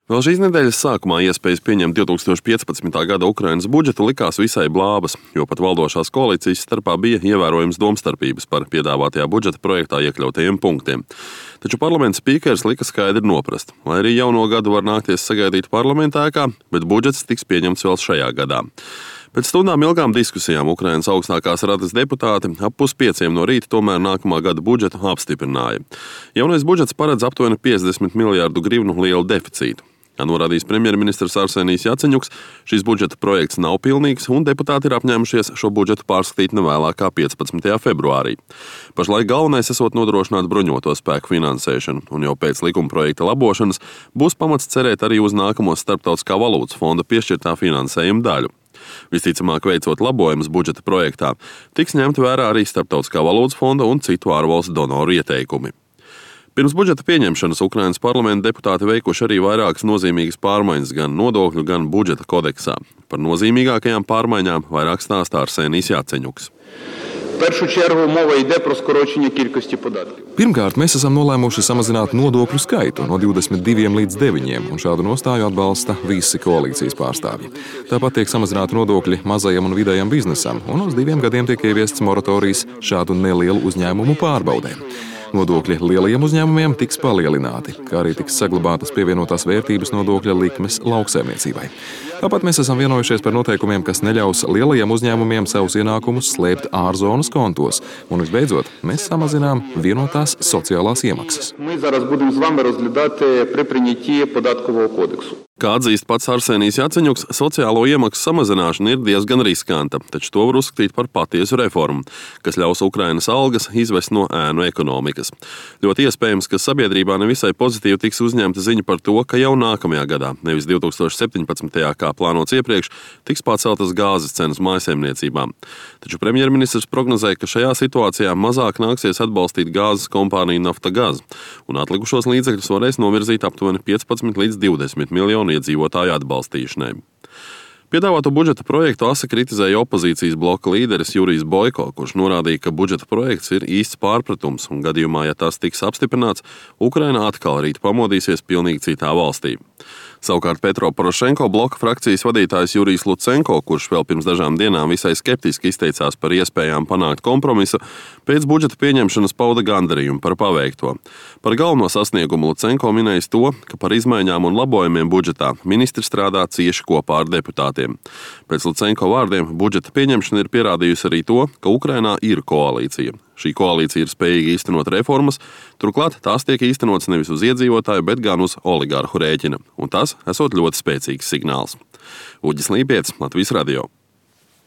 Vēl šīs nedēļas sākumā iespējas pieņemt 2015. gada Ukrainas budžetu likās visai blābas, jo pat valdošās koalīcijas starpā bija ievērojams domstarpības par piedāvātajā budžeta projektā iekļautajiem punktiem. Taču parlamenta spīkers lika skaidri noprast, lai arī jauno gadu var nākties sagaidīt parlamentā ēkā, bet budžets tiks pieņemts vēl šajā gadā. Pēc stundām ilgām diskusijām Ukrainas augstākās radas deputāti ap 4:30 no rīta tomēr nākamā gada budžetu apstiprināja. Jaunais budžets paredz aptuveni 50 miljārdu grivnu lielu deficītu. Kā norādījis premjerministrs Arsenijs Jaceņuks, šis budžeta projekts nav pilnīgs un deputāti ir apņēmušies šo budžetu pārskatīt nevēlāk kā 15. februārī. Pašlaik galvenais esot nodrošināt bruņoto spēku finansēšanu, un jau pēc likuma projekta labošanas būs pamats cerēt arī uz nākamo Starptautiskā valūtas fonda piešķirtā finansējuma daļu. Visticamāk, veicot labojumus budžeta projektā, tiks ņemt vērā arī Starptautiskā valūtas fonda un citu ārvalstu donoru ieteikumi. Pirms budžeta pieņemšanas Ukrainas parlamenta deputāti veikuši arī vairākas nozīmīgas pārmaiņas gan nodokļu, gan budžeta kodeksā. Par nozīmīgākajām pārmaiņām vairāk stāstā Arsenijs Jaceņuks. Pirmkārt, mēs esam nolēmuši samazināt nodokļu skaitu no 22 līdz 9, un šādu nostāju atbalsta visi koalīcijas pārstāvji. Tāpat tiek samazināti nodokļi mazajam un vidējam biznesam, un uz 2 gadiem tiek ieviests moratorijas šādu nelielu uzņēmumu pārbaudēm. Nodokļi lielajiem uzņēmumiem tiks palielināti, kā arī tiks saglabātas pievienotās vērtības nodokļa likmes lauksaimniecībai. Tāpat mēs esam vienojušies par noteikumiem, kas neļaus lielajiem uzņēmumiem savus ienākumus slēpt ārzonas kontos. Un visbeidzot, mēs samazinām vienotās sociālās iemaksas. Kā atzīst pats Arsenijs Jaceņuks, sociālo iemaksu samazināšana ir diezgan riskanta, taču to var uzskatīt par patiesu reformu, kas ļaus Ukrainas algas izvest no ēnu ekonomikas. Ļoti iespējams, ka sabiedrībā nevisai pozitīvi tiks uzņemta ziņa par to, ka jau nākamajā gadā, nevis 2017. kā plānots iepriekš, tiks paceltas gāzes cenas mājsaimniecībām. Taču premjerministrs prognozēja, ka šajā situācijā mazāk nāksies atbalstīt gāzes kompāniju Naftagaz, un atlikušos līdzekļus varēs novirzīt aptuveni 15 līdz 20 miljonu iedzīvotāju atbalstīšanai. Piedāvāto budžeta projektu asi kritizēja opozīcijas bloka līderis Jurijs Boiko, kurš norādīja, ka budžeta projekts ir īsts pārpratums un gadījumā, ja tas tiks apstiprināts, Ukraina atkal rīt pamodīsies pilnīgi citā valstī. Savukārt Petro Porošenko bloka frakcijas vadītājs Jurijs Lucenko, kurš vēl pirms dažām dienām visai skeptiski izteicās par iespējām panākt kompromisu, pēc budžeta pieņemšanas pauda gandarījumu par paveikto. Par galveno sasniegumu Lucenko minējis to, ka par izmaiņām un labojumiem budžetā ministri strādā cieši kopā ar deputātiem. Pēc Lucenko vārdiem budžeta pieņemšana ir pierādījusi arī to, ka Ukrainā ir koalīcija. Šī koalīcija ir spējīga īstenot reformas, turklāt tās tiek īstenotas nevis uz iedzīvotāju, bet gan uz oligarhu rēķina, un tas esot ļoti spēcīgs signāls. Uģis Līpietis, Latvijas radio.